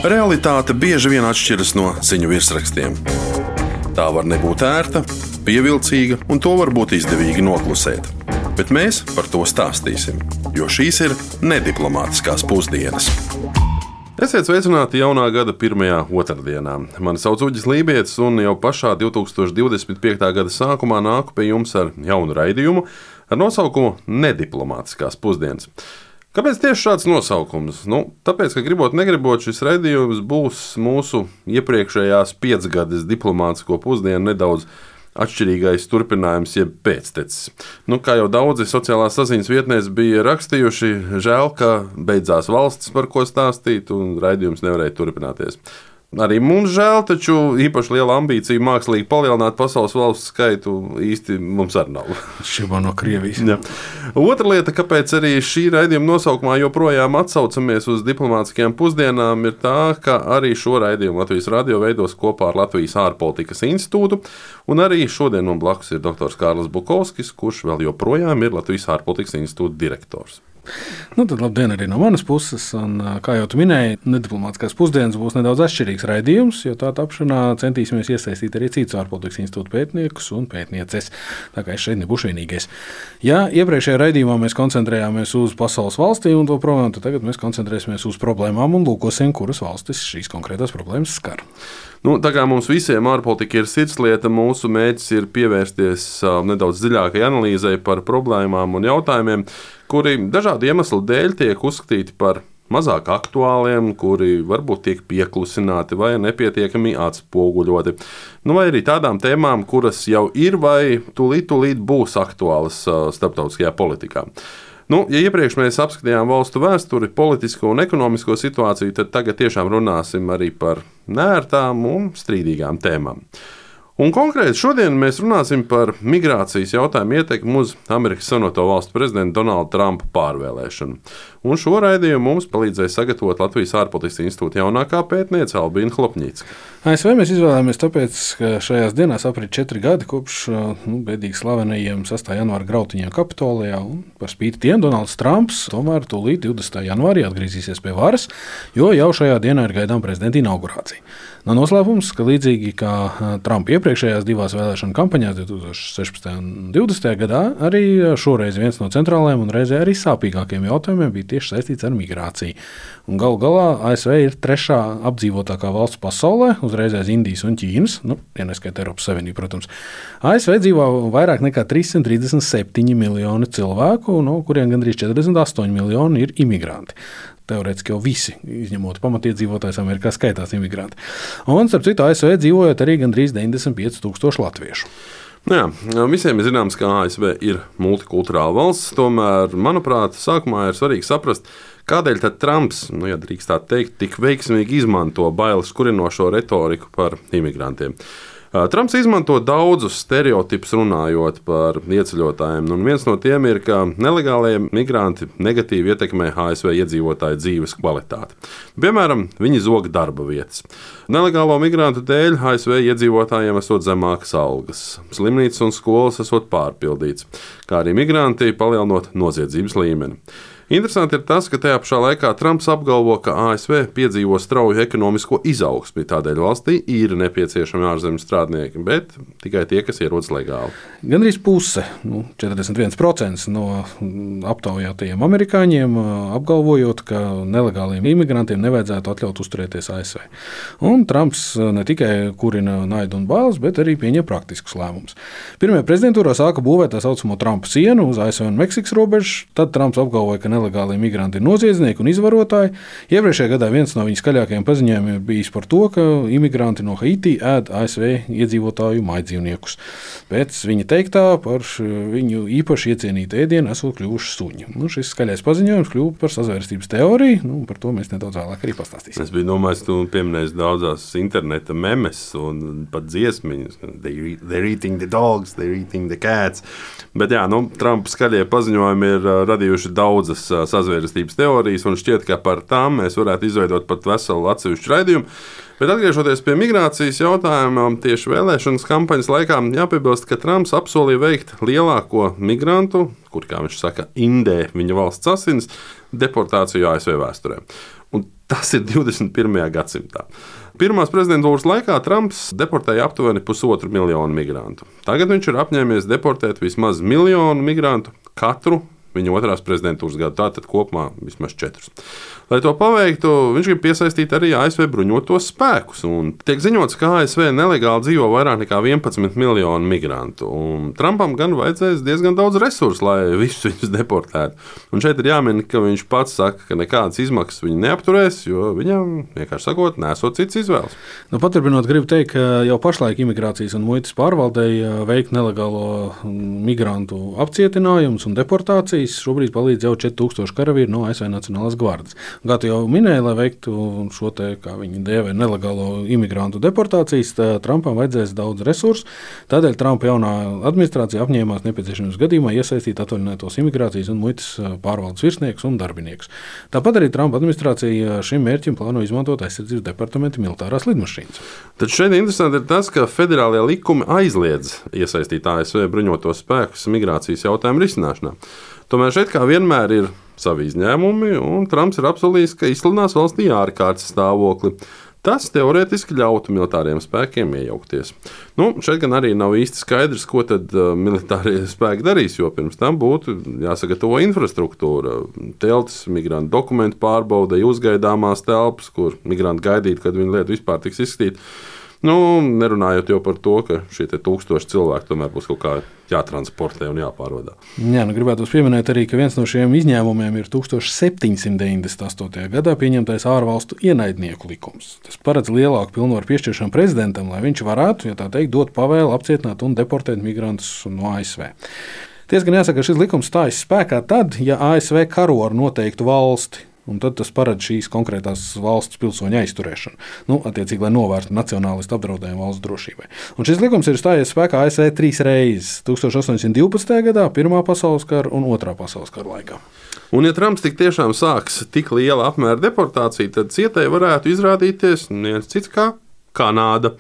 Realitāte bieži vien atšķiras no ziņu virsrakstiem. Tā var nebūt ērta, pievilcīga, un to var būt izdevīgi noklusēt. Bet mēs par to stāstīsim, jo šīs ir nediplomātiskās pusdienas. Esiet sveicināti jaunā gada pirmajā otrdienā. Mani sauc Uģis Lībietis, un jau pašā 2025. gada sākumā nāku pie jums ar jaunu raidījumu ar nosaukumu Nediplomātiskās pusdienas. Kāpēc tieši šāds nosaukums? Tāpēc, ka gribot, negribot, šis raidījums būs mūsu iepriekšējās 5-gades diplomātisko pusdienu nedaudz atšķirīgais turpinājums, jeb pēctecis. Kā jau daudzi sociālās saziņas vietnēs bija rakstījuši, žēl, ka beidzās valsts, par ko stāstīt, un raidījums nevarēja turpināties. Arī mums žēl, taču īpaši liela ambīcija mākslīgi palielināt pasaules valstu skaitu īsti mums arī nav. Šībā no Krievijas. Ja. Otra lieta, kāpēc arī šī raidījuma nosaukumā joprojām atsaucamies uz diplomātiskajām pusdienām, ir tā, ka arī šo raidījumu Latvijas radio veidos kopā ar Latvijas ārpolitikas institūtu, un arī šodien man blakus ir doktors Kārlis Bukovskis, kurš vēl joprojām ir Latvijas ārpolitikas institūta direktors. Tad labdien arī no manas puses, un, kā jau tu minēji, nediplomātiskās pusdienas būs nedaudz atšķirīgs raidījums, jo tā tapšanā centīsimies iesaistīt arī citus ārpolitikas institūta pētniekus un pētnieces, tā kā es šeit nebūšu vienīgais. Ja iepriekšējā raidījumā mēs koncentrējāmies uz pasaules valstīm un to problēmu, tad tagad mēs koncentrēsimies uz problēmām un lūkosim, kuras valstis šīs konkrētās problēmas skar. Tā kā mums visiem ārpolitika ir sirdslieta, mūsu mērķis ir pievērsties nedaudz dziļākai analīzei par problēmām un jautājumiem, kuri dažādu iemeslu dēļ tiek uzskatīti par mazāk aktuāliem, kuri varbūt tiek pieklusināti vai nepietiekami atspoguļoti. Vai arī tādām tēmām, kuras jau ir vai tūlīt būs aktuālas starptautiskajā politikā. Ja iepriekš mēs apskatījām valstu vēsturi, politisko un ekonomisko situāciju, tad tagad tiešām runāsim arī par neērtām un strīdīgām tēmām. Un konkrēti šodien mēs runāsim par migrācijas jautājumu ietekmi uz Amerikas Savienoto Valstu prezidenta Donalda Trumpa pārvēlēšanu. Un šo raidījumu mums palīdzēja sagatavot Latvijas ārpolitikas institūta jaunākā pētniece Albīna Hlopņicka. ASV mēs izvēlējāmies tāpēc, ka šajās dienās aprit 4 gadi kopš bēdīgi slavenajiem 6. janvāra grautiņiem Kapitolijā, un par spīti tiem Donalds Trumps tomēr tūlīt 20. janvārī atgriezīsies pie varas, jo jau šajā dienā ir gaidām prezidenta inaugurācija. Nav noslēpums, ka līdzīgi kā Trumpa iepriekšējās divās vēlēšanu kampaņās 2016. un 2020. gadā, arī šoreiz viens no centrālajiem un reizē arī sāpīgākiem jautājumiem bija tieši saistīts ar migrāciju. Un galu galā ASV ir 3. apdzīvotākā valsts pasaulē, uzreiz aiz Indijas un Ķīnas, ja neskaita Eiropas Savienību, protams. ASV dzīvo vairāk nekā 337 miljoni cilvēku, no kuriem gandrīz 48 miljoni ir imigranti. Teorētiski jau visi, izņemot pamatiedzīvotājus Amerikā, skaitās imigranti. Un, starp citu, ASV dzīvojot arī gandrīz 95,000 latviešu. Visiem ir zināms, ka ASV ir multikulturāla valsts, tomēr, manuprāt, sākumā ir svarīgi saprast, kādēļ tad Trumps, ja drīkst tā teikt, tik veiksmīgi izmanto bailes kurinošo retoriku par imigrantiem. Trumps izmanto daudzus stereotipus runājot par ieceļotājiem, un viens no tiem ir, ka nelegālie migranti negatīvi ietekmē ASV iedzīvotāju dzīves kvalitāti. Piemēram, viņi zog darba vietas. Nelegālo migrantu dēļ ASV iedzīvotājiem esot zemākas algas, slimnīcas un skolas esot pārpildīts, kā arī migranti palielinot noziedzības līmeni. Interesanti ir tas, ka tajā pašā laikā Trumps apgalvo, ka ASV piedzīvo strauju ekonomisko izaugsmi, tādēļ valstī ir nepieciešami ārzemes strādnieki, bet tikai tie, kas ierodas legāli. Gandrīz puse, 41% no aptaujātajiem amerikāņiem apgalvojot, ka nelegāliem imigrantiem nevajadzētu atļaut uzturēties ASV. Un Trumps ne tikai kurina naidu un bailes, bet arī pieņem praktiskus lēmumus. Pirmajā prezidentūrā sāka būvēt tā saucamo Trumpa sienu uz ASV un Meksikas robežu, tad Trumps apgalvoja, ka nelegālie migranti ir noziedznieki un izvarotāji. Iepriekšējā gadā viens no viņa skaļākajiem paziņojumiem ir bijis par to, ka imigranti no Haiti ēd ASV iedzīvotāju mājdzīvniekus. Pēc viņa teiktā par viņu īpaši iecienītu ēdienu esot kļuvuši suņi. Šis skaļais paziņojums kļuva par sazvērstības teoriju, par to mēs nedaudz vēlāk arī pastāstīsim. Es biju domājis, tu pieminēsi daudzās interneta memes un pat dziesmiņas. They're eating the dogs, they're eating the cats. Bet Trumpa skaļie paziņojumi ir radījuši daudzas sazvērstības teorijas, un šķiet, ka par tām mēs varētu izveidot pat veselu atsevišķu raidījumu. Bet atgriežoties pie migrācijas jautājuma, tieši vēlēšanas kampaņas laikā jāpiebilst, ka Trumps apsolīja veikt lielāko migrantu, kur, kā viņš saka, indē viņa valsts asins, deportāciju ASV vēsturē. Un Tas ir 21. gadsimtā. Pirmās prezidentūras laikā Trumps deportēja aptuveni 1,5 miljonu migrantu. Tagad viņš ir apņēmies deportēt vismaz 1 miljonu migrantu katru viņa otrās prezidentūras gadu, tātad kopumā vismaz 4. Lai to paveiktu, viņš grib piesaistīt arī ASV bruņotos spēkus. Un tiek ziņots, ka ASV nelegāli dzīvo vairāk nekā 11 miljonu migrantu. Un Trumpam gan vajadzēs diezgan daudz resursu, lai visus viņus deportētu. Un šeit ir jāmin, ka viņš pats saka, ka nekādas izmaksas viņu neapturēs, jo viņam, vienkārši sakot, nesot cits izvēles. Paturpinot, gribu teikt, ka jau pašlaik imigrācijas un muitas pārvaldei veikt nelegālo migrantu apcietinājumus un deportācijas šobrīd palīdz jau 4000 karavīri no ASV Nacionālās gvardes. Kā tu jau minēji, lai veiktu šo te, kā viņi dēvē, nelegālo imigrantu deportācijas, Trumpam vajadzēs daudz resursu. Tādēļ Trumpa jaunā administrācija apņēmās nepieciešamības gadījumā iesaistīt atvaļinātos imigrācijas un muitas pārvaldes virsniekus un darbiniekus. Tāpat arī Trumpa administrācija šim mērķim plāno izmantot aizsardzības departamenta militārās lidmašīnas. Tad šeit interesanti ir tas, ka federālie likumi aizliedz iesaistīt ASV bruņotos spēkus migrācijas jautājumu risināšanā. Tomēr šeit kā vienmēr ir savi izņēmumi, un Trumps ir apsolījis, ka izsludinās valstī ārkārtas stāvokli. Tas teorētiski ļautu militāriem spēkiem iejaukties. Šeit gan arī nav īsti skaidrs, ko tad militārie spēki darīs, jo pirms tam būtu jāsagatavo infrastruktūra, teltis, migrantu dokumentu pārbaudei, uzgaidāmās telpas, kur migranti gaidītu, kad viņu lietu vispār tiks izskatīt. Nerunājot jau par to, ka šie 1000 cilvēki tomēr būs kaut kā jātransportē un jāpārvadā. Jā, gribētu pieminēt arī, ka viens no šiem izņēmumiem ir 1798. gadā pieņemtais ārvalstu ienaidnieku likums. Tas paredz lielāku pilnvaru piešķiršanu prezidentam, lai viņš varētu, ja tā teikt, dot pavēli apcietināt un deportēt migrantus no ASV. Tiesa gan jāsaka, ka šis likums stājas spēkā tad, ja ASV karo ar noteiktu valsti. Un tad tas paredz šīs konkrētās valsts pilsoņu aizturēšanu, attiecīgi, lai novērstu nacionālistu apdraudējumu valsts drošībai. Un šis likums ir stājies spēkā ASV 3 reizes - 1812. gadā, Pirmā pasaules kara un Otrā pasaules kara laikā. Un, ja Trumps tik tiešām sāks tik liela apmēra deportāciju, tad cietēji varētu izrādīties viens cits kā Kanāda.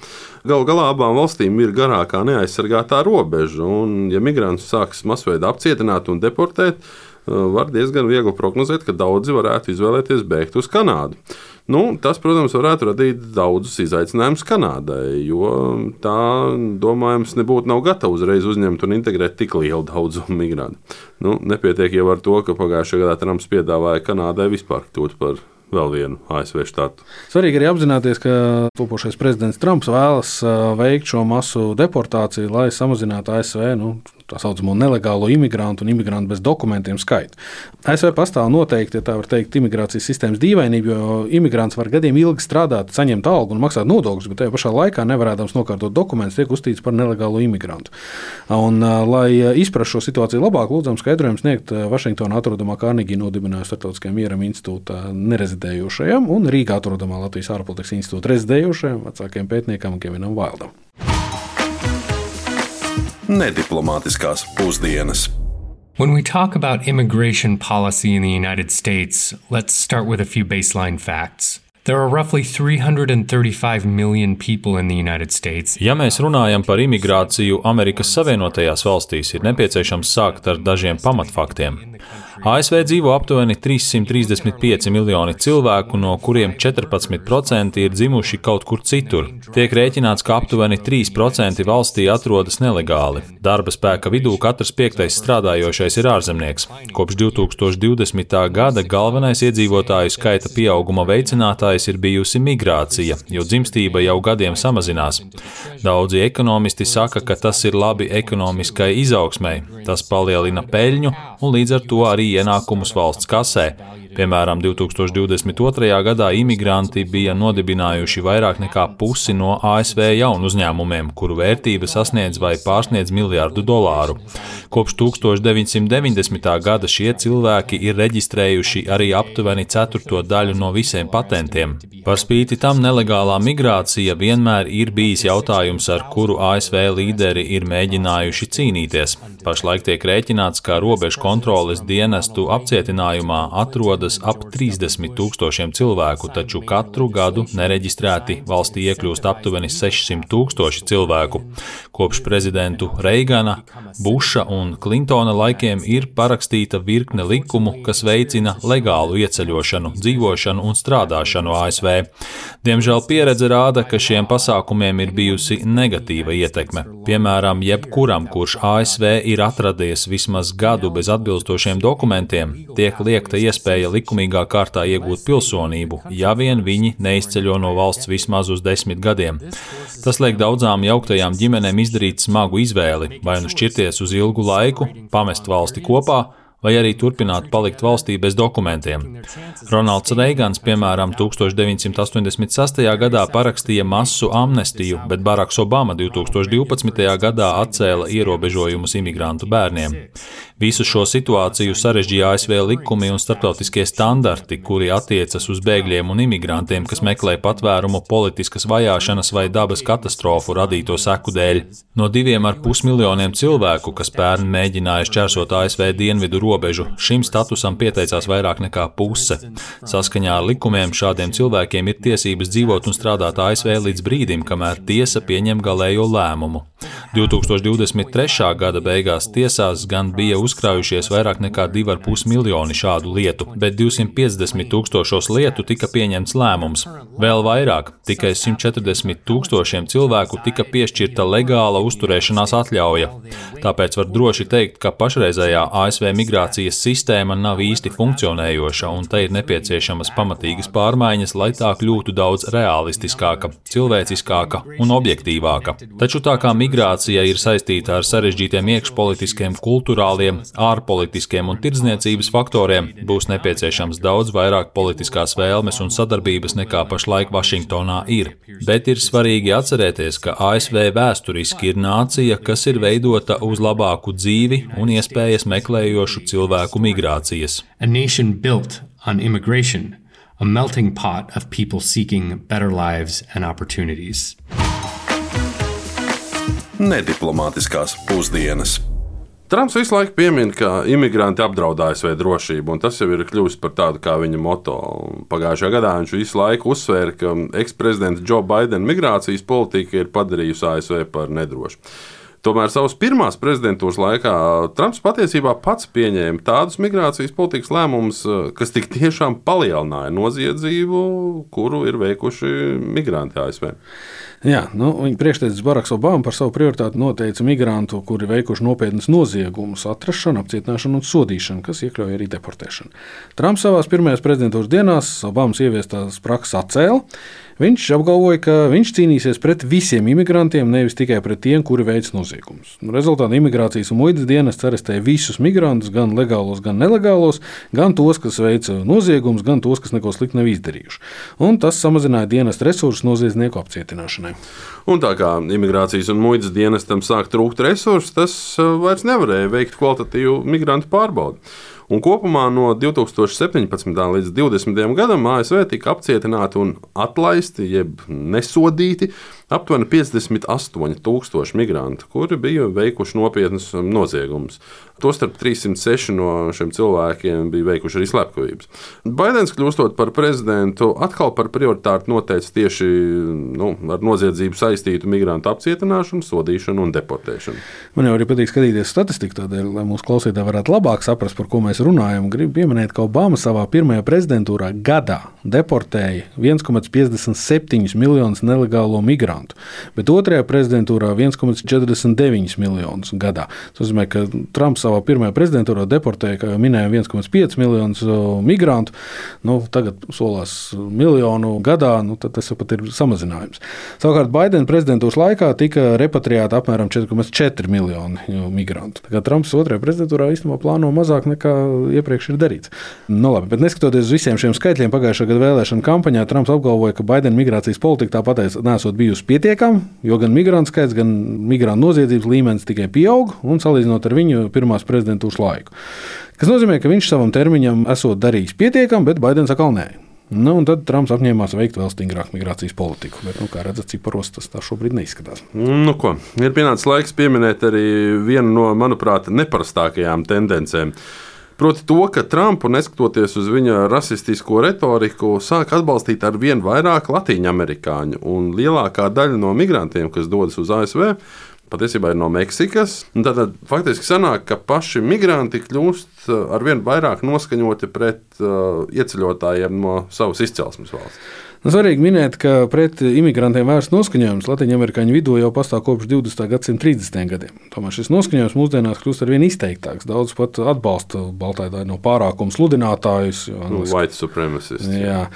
Galu galā abām valstīm ir garākā neaizsargātā robeža, un, ja migrantus sāks masveidā apcietināt un deportēt, var diezgan viegli prognozēt, ka daudzi varētu izvēlēties bēgt uz Kanādu. Tas, protams, varētu radīt daudzus izaicinājumus Kanādai, jo tā, domājams, nav gatava uzreiz uzņemt un integrēt tik lielu daudzumu migrantu. Nepietiek jau ar to, ka pagājušajā gadā Trumps piedāvāja Kanādai vispār kļūt par vēl vienu ASV štātu. Svarīgi arī apzināties, ka topošais prezidents Trumps vēlas veikt šo masu deportāciju, lai samazinātu ASV tā saucamo nelegālo imigrantu un imigrantu bez dokumentiem skaitu. ASV pastāv noteikti, ja tā var teikt, imigrācijas sistēmas dīvainība, jo imigrants var gadiem ilgi strādāt, saņemt algu un maksāt nodokļus, bet tajā pašā laikā nevarēdams nokārtot dokumentus, tiek uzskatīts par nelegālo imigrantu. Un, lai izprastu šo situāciju labāk, lūdzam skaidrojumu sniegt Vašingtonā atrodamā Kārnegī nodibinājumu Starptautiskajam mieram institūta nerezidējošajam un Rīgā atrodamā Latvijas ārpolitikas institūta rezidējošajam vecākajam pētniekam Kevinam Vaildam. Nediplomātiskās pusdienas. When we talk about immigration policy in the United States, let's start with a few baseline facts. There are roughly 335 million people in the United States. Ja mēs runājam par imigrāciju Amerikas Savienotajās valstīs, ir nepieciešams sākt ar dažiem pamatfaktiem. ASV dzīvo aptuveni 335 miljoni cilvēku, no kuriem 14% ir dzimuši kaut kur citur. Tiek rēķināts, ka aptuveni 3% valstī atrodas nelegāli. Darba spēka vidū katrs 5. strādājošais ir ārzemnieks. Kopš 2020. gada galvenais iedzīvotāju skaita pieauguma veicinātājs ir bijusi migrācija, jo dzimstība jau gadiem samazinās. Daudzi ekonomisti saka, ka tas ir labi ekonomiskai izaugsmei. Tas palielina peļņu un līdz ar to arī ienākumus valsts kasē. Piemēram, 2022. gadā imigranti bija nodibinājuši vairāk nekā pusi no ASV jaunu uzņēmumiem, kuru vērtība sasniedz vai pārsniedz $1 miljardu. Kopš 1990. gada šie cilvēki ir reģistrējuši arī aptuveni 1/4 daļu no visiem patentiem. Par spīti tam nelegālā migrācija vienmēr ir bijis jautājums, ar kuru ASV līderi ir mēģinājuši cīnīties. Pašlaik tiek rēķināts, ka robežu kontroles dienestu apcietinājumā atrodas ierodas ap 30 000 cilvēku, taču katru gadu nereģistrēti valstī iekļūst aptuveni 600 000 cilvēku. Kopš prezidentu Reigana, Buša un Klintona laikiem ir parakstīta virkne likumu, kas veicina legālu ieceļošanu, dzīvošanu un strādāšanu ASV. Diemžēl pieredze rāda, ka šiem pasākumiem ir bijusi negatīva ietekme. Piemēram, jebkuram, kurš ASV ir atradies vismaz gadu bez atbilstošiem dokumentiem, tiek liekta iespēja likumīgā kārtā iegūt pilsonību, ja vien viņi neizceļo no valsts vismaz uz 10 gadiem. Tas liek daudzām jauktajām ģimenēm izdarīt smagu izvēli, vai nu šķirties uz ilgu laiku, pamest valsti kopā, vai arī turpināt palikt valstī bez dokumentiem. Ronalds Reigans, piemēram, 1986. gadā parakstīja masu amnestiju, bet Baraks Obama 2012. gadā atcēla ierobežojumus imigrantu bērniem. Visu šo situāciju sarežģīja ASV likumi un starptautiskie standarti, kuri attiecas uz bēgļiem un imigrantiem, kas meklē patvērumu politiskas vajāšanas vai dabas katastrofu radīto seku dēļ. No 2,5 miljoniem cilvēku, kas pērn mēģināja šķērsot ASV dienvidu robežu, šim statusam pieteicās vairāk nekā puse. Saskaņā ar likumiem šādiem cilvēkiem ir tiesības dzīvot un strādāt ASV līdz brīdim, kamēr tiesa pieņem galējo lēmumu. 2023. gada beigās tiesās gan bija uzkrājušies vairāk nekā 2,5 miljoni šādu lietu, bet 250 000 lietu tika pieņemts lēmums. Vēl vairāk, tikai 140 000 cilvēku tika piešķirta legāla uzturēšanās atļauja. Tāpēc var droši teikt, ka pašreizējā ASV migrācijas sistēma nav īsti funkcionējoša, un tai ir nepieciešamas pamatīgas pārmaiņas, lai tā kļūtu daudz realistiskāka, cilvēciskāka un objektīvāka. Taču tā kā migrācija ir saistīta ar sarežģītiem iekšpolitiskiem, kulturāliem, ārpolitiskiem un tirdzniecības faktoriem, būs nepieciešams daudz vairāk politiskās vēlmes un sadarbības nekā pašlaik Vašingtonā ir. Bet ir svarīgi atcerēties, ka ASV vēsturiski ir nācija, kas ir veidota uz labāku dzīvi un iespējas meklējošu cilvēku migrācijas. A nation built on immigration, a melting pot of people seeking better lives and opportunities. Nediplomātiskās pusdienas. Trumps visu laiku piemin, ka imigranti apdraud ASV drošību, un tas jau ir kļuvis par tādu kā viņa moto. Pagājušajā gadā viņš visu laiku uzsvēra, ka eksprezidenta Joe Bidena migrācijas politika ir padarījusi ASV par nedrošu. Tomēr savas pirmās prezidentūras laikā Trumps patiesībā pats pieņēma tādus migrācijas politikas lēmumus, kas tik tiešām palielināja noziedzību, kuru ir veikuši migranti ASV. Jā, viņa priekšteicis Baraks Obama par savu prioritāti noteica migrantu, kuri veikuši nopietnas noziegumus, atrašanu, apcietināšanu un sodīšanu, kas iekļauj arī deportēšanu. Trumps savās pirmajās prezidentūras dienās Obamas ieviestās prakses atcēla. Viņš apgalvoja, ka viņš cīnīsies pret visiem imigrantiem, nevis tikai pret tiem, kuri veic noziegumus. Rezultātā imigrācijas un muitas dienests arestēja visus migrantus, gan legālos, gan nelegālos, gan tos, kas veica noziegumus, gan tos, kas neko sliktu nav izdarījuši. Un tas samazināja dienesta resursus noziedznieku apcietināšanai. Un tā kā imigrācijas un muitas dienestam sāk trūkt resursus, tas vairs nevarēja veikt kvalitatīvu migrantu pārbaudi. Un kopumā no 2017. līdz 2020. gadam ASV tika apcietināti un atlaisti, jeb nesodīti, aptuveni 58 000 migrantu, kuri bija veikuši nopietnus noziegumus. Tostarp 306 no šiem cilvēkiem bija veikuši arī slepkavības. Baidens, kļūstot par prezidentu, atkal par prioritāti noteica tieši ar noziedzību saistītu migrantu apcietināšanu, sodīšanu un deportēšanu. Man jau arī patīk skatīties statistiku, tādēļ, lai mūsu klausītāji varētu labāk saprast, par ko mēs runājam. Gribu pieminēt, ka Obama savā pirmajā prezidentūrā gadā deportēja 1,57 miljonus nelegālo migrantu, bet otrajā prezidentūrā 1,49 miljonus gadā. Tas nozīmē, ka Trumps savā pirmajā prezidentūrā deportēja, kā jau minējām, 1,5 miljonus migrantu. Tagad solās miljonu gadā, tad tas pat ir samazinājums. Savukārt Baidena prezidentūras laikā tika repatriēta apmēram 4,4 miljoni migrantu. Tā kā Trumps otrajā prezidentūrā īstenībā plāno mazāk nekā iepriekš ir darīts. Labi, bet neskatoties uz visiem šiem skaitļiem pagājušā gada vēlēšana kampaņā, Trumps apgalvoja, ka Baidena migrācijas politika tāpat nesot bijusi pietiekama, jo gan migrantu skaits, gan migrantu noziedzības līmenis tikai pieaug un salīdzinot ar viņu pirmās prezidentūras laiku. Kas nozīmē, ka viņš savam termiņam esot darījis pietiekami, bet Baidens atkal nē. Un tad Trumps apņēmās veikt vēl stingrāku migrācijas politiku. Bet, kā redzat, ciparos tas tā šobrīd neizskatās. Ir pienācis laiks pieminēt arī vienu no, manuprāt, neparastākajām tendencēm. Proti to, ka Trumpu, neskatoties uz viņa rasistisko retoriku, sāk atbalstīt ar vien vairāk latīņamerikāņu, un lielākā daļa no migrantiem, kas dodas uz ASV, patiesībā ir no Meksikas. Tātad faktiski sanāk, ka paši migranti kļūst ar vien vairāk noskaņoti pret ieceļotājiem no savas izcelsmes valsts. Svarīgi minēt, ka pret imigrantiem vērsts noskaņojums Latvijas-Amerikāņu vidū jau pastāv kopš 20. gadsimta 30. gadiem. Tomēr šis noskaņojums mūsdienās kļūst arvien izteiktāks. Daudz pat atbalsta baltātāju no pārākuma sludinātājus. White supremacists. Jā.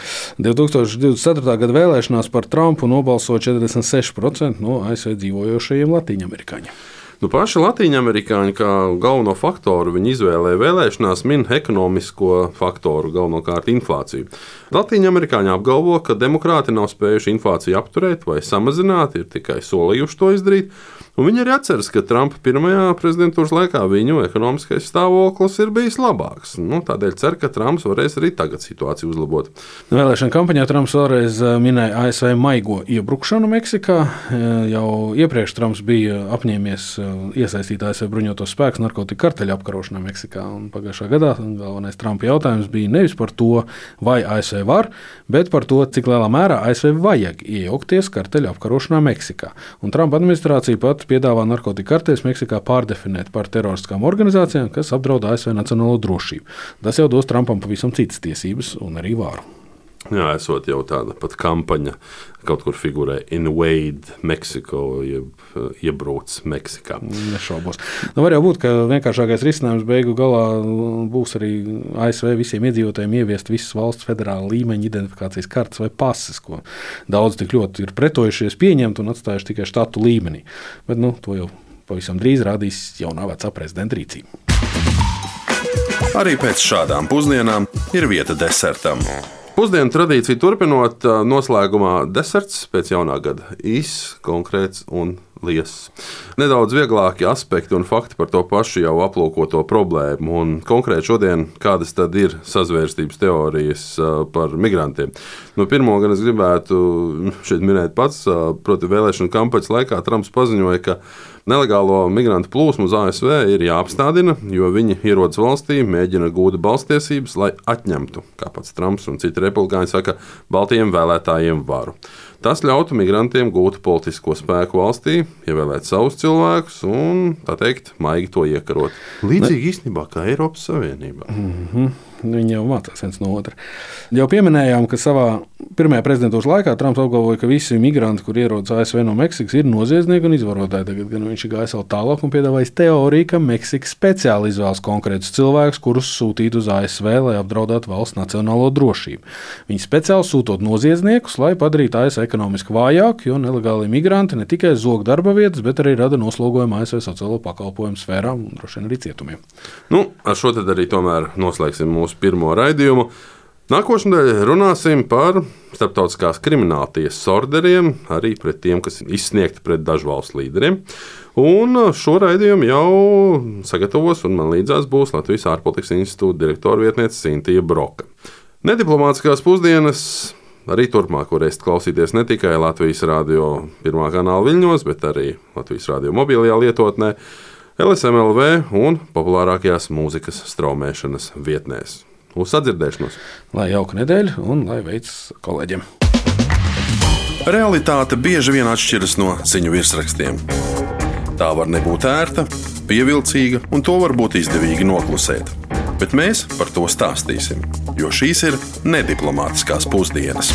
2024. gada vēlēšanās par Trumpu nobalso 46% no ASV dzīvojošajiem Latvijas-Amerikāņiem. Paši latīņamerikāņi kā galveno faktoru viņa izvēlē vēlēšanās min ekonomisko faktoru, galvenokārt inflāciju. Latīņamerikāņi apgalvo, ka demokrāti nav spējuši inflāciju apturēt vai samazināt, ir tikai solījuši to izdarīt. Un viņi arī atceras, ka Trumpa pirmajā prezidentūras laikā viņu ekonomiskais stāvoklis ir bijis labāks. Tādēļ cer, ka Trumps varēs arī tagad situāciju uzlabot. Vēlēšana kampaņā Trumps vēlreiz minēja ASV maigo iebrukšanu Meksikā. Jau iepriekš Trumps bija apņēmies iesaistīt ASV bruņotos spēkus narkotiku karteļu apkarošanā Meksikā. Un pagājušā gadā galvenais Trumpa jautājums bija nevis par to, vai ASV var, bet par to, cik lielā mērā ASV vajag iejaukties karteļu apkarošanā Meksikā. Un Trumpa administrācija pat piedāvā narkotiku karteļus Meksikā pārdefinēt par teroristiskām organizācijām, kas apdraud ASV nacionālo drošību. Tas jau dos Trumpam pavisam citas tiesības un arī vāru. Jā, esot jau tāda pat kampaņa, kaut kur figurē Invade Mexico, iebrauc Meksikā. Nešaubos. Var jau būt, ka vienkāršākais risinājums beigu galā būs arī ASV visiem iedzīvotājiem ieviest visas valsts federāla līmeņa identifikācijas kartes vai pases, ko daudz tik ļoti ir pretojušies pieņemt un atstājuši tikai štatu līmenī. Bet to jau pavisam drīz rādīs jaunā vecā prezidenta rīcība. Arī pēc šādām pusdienām ir vieta desertam. Pusdienu tradīciju turpinot, noslēgumā deserts pēc jaunā gada īss, konkrēts un liess. Nedaudz vieglāki aspekti un fakti par to pašu jau aplūkoto problēmu. Un konkrēti šodien, kādas tad ir sazvērstības teorijas par migrantiem? Pirmo gan es gribētu šeit minēt pats, proti vēlēšanu kampaņas laikā Trumps paziņoja, ka nelegālo migrantu plūsmu uz ASV ir jāapstādina, jo viņi ierodas valstī, mēģina gūt balstiesības, lai atņemtu, kā pats Trumps un citi republikāņi saka, baltajiem vēlētājiem varu. Tas ļautu migrantiem gūt politisko spēku valstī, ievēlēt savus cilvēkus un, tā teikt, maigi to iekarot. Līdzīgi īstenībā kā Eiropas Savienībā. Viņi jau mācās viens no otra. Jau pieminējām, ka savā pirmajā prezidentūras laikā Trumps apgalvoja, ka visi migranti, kur ierodas ASV no Meksikas, ir noziedznieki un izvarotāji. Tagad gan viņš ir gājis vēl tālāk un piedāvājis teoriju, ka Meksika speciāli izvēlas konkrētus cilvēkus, kurus sūtīt uz ASV, lai apdraudētu valsts nacionālo drošību. Viņi speciāli sūtot noziedzniekus, lai padarītu ASV ekonomiski vājāku, jo nelegāli migranti ne tikai zog darba vietas, bet arī rada noslogojumu ASV sociālo pakalpojumu sfērām un droši vien arī cietumiem. Ar šo tad arī tomēr noslēgsim mūsu pirmo raidījumu. Nākošnedēļ runāsim par starptautiskās krimināltiesas orderiem, arī pret tiem, kas ir izsniegti pret dažu valstu līderiem. Un šo raidījumu jau sagatavos un man līdzās būs Latvijas ārpolitikas institūta direktora vietniece Sintija Broka. Nediplomātiskās pusdienas arī turpmāk varēsiet klausīties ne tikai Latvijas radio pirmā kanāla viļņos, bet arī Latvijas radio mobilajā lietotnē, LSMLV un populārākajās mūzikas straumēšanas vietnēs. Uz sadzirdēšanos! Lai jauka nedēļa un lai veicas kolēģiem! Realitāte bieži vien atšķiras no ziņu virsrakstiem. Tā var nebūt ērta, pievilcīga un to var būt izdevīgi noklusēt. Bet mēs par to stāstīsim, jo šīs ir nediplomātiskās pusdienas.